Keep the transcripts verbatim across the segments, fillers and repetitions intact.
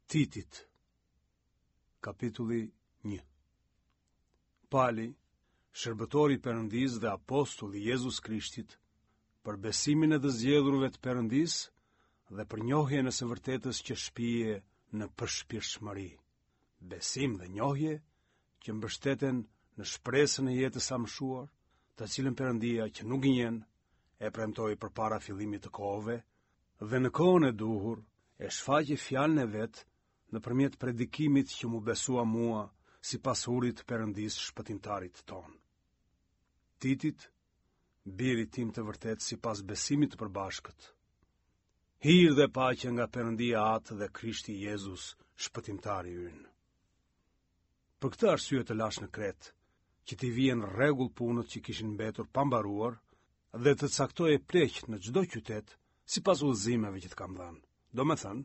Titit, kapitulli një. Pali, shërbëtor i Perëndisë dhe apostull i Jezus Krishtit, për besimin e të zgjedhurve të Perëndisë dhe për njohjen e së vërtetës që shpie në përshpirtshmëri. Besim dhe njohje që mbështeten në shpresën e jetës së amshuar, të cilën Perëndia që nuk gënjen e premtoi përpara fillimit të kohëve dhe në kohën e duhur e shfaqi fjalën e vet nëpërmjet predikimit që m'u besua mua sipas urdhrit të Perëndisë shpëtimtarit tonë. Titit, birit tim të vërtetë sipas besimit të përbashkët. Hir dhe paqe nga Perëndia Atë dhe Krishti Jezus, shpëtimtari ynë. Për këtë arsye të lashë në Kretë, që t'i vije në rregull punët që kishin mbetur pa mbaruar dhe të caktoje pleq në çdo qytet sipas udhëzimeve që të kam dhënë. Domethënë,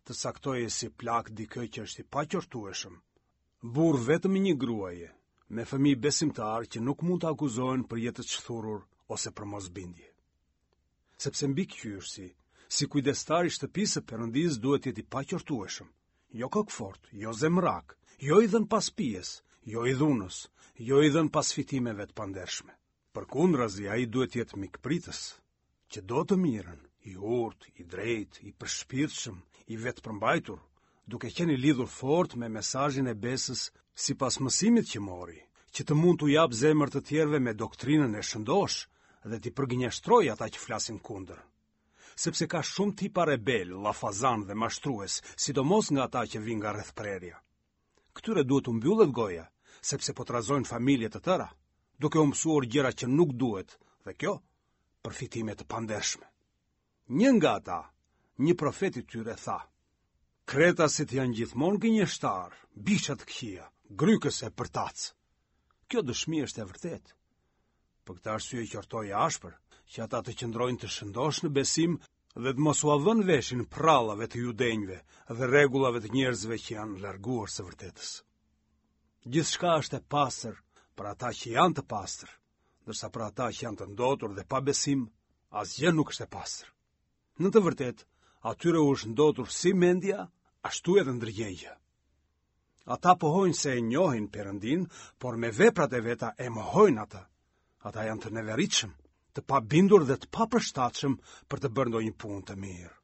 të caktoje si plak dikë që është i paqortueshëm, burrë vetëm i një gruaje, me fëmijë besimtarë që nuk mund të akuzohen për jetë të shthurur ose për mosbindje. Sepse mbikëqyrësi, si kujdestar i shtëpisë së Perëndisë duhet të jetë i paqortueshëm, jo kokëfortë, jo zemrak, jo i dhënë pas pijes, jo i dhunës, jo i dhënë pas fitimeve të pandershme. Përkundrazi, ai duhet të jetë mikpritës, që do të mirën, i urtë, i drejtë, i përshpirtshëm, i vetëpërmbajtur, duke qenë i lidhur fort me mesazhin e besës sipas mësimit që mori, që të mund t'u japë zemër të tjerëve me doktrinën e shëndoshë dhe t'i përgënjeshtrojë ata që flasin kundër. Sepse ka shumë tipa rebelë, llafazanë dhe mashtrues, sidomos nga ata që vijnë nga rrethprerja. Këtyre duhet t'u mbyllet goja, sepse po trazojnë familje të tëra, duke u mësuar gjëra që nuk duhet, dhe kjo për fitime të pandershme. Një nga ata, një profet i tyre tha: Kretasit janë gjithmonë gënjeshtarë, bisha të këqija, grykës e përtacë. Kjo dëshmi është e vërtetë. Për këtë arsye qortoji ashpër, që ata të qëndrojnë të shëndoshë në besim dhe të mos ua vënë veshin prallave të judenjve dhe rregullave të njerëzve që janë larguar së vërtetës. Gjithçka është e pastër për ata që janë të pastër, ndërsa për ata që janë të ndotur dhe pa besim, asgjë nuk është e pastër. Në të vërtetë, atyre u është ndotur si mendja, ashtu edhe ndërgjegja. Ata pohojnë se e njohin Perëndinë, por me veprat e veta e mohojnë atë. Ata janë të neveritshëm, të pabindur dhe të papërshtatshëm për të bërë ndonjë punë të mirë.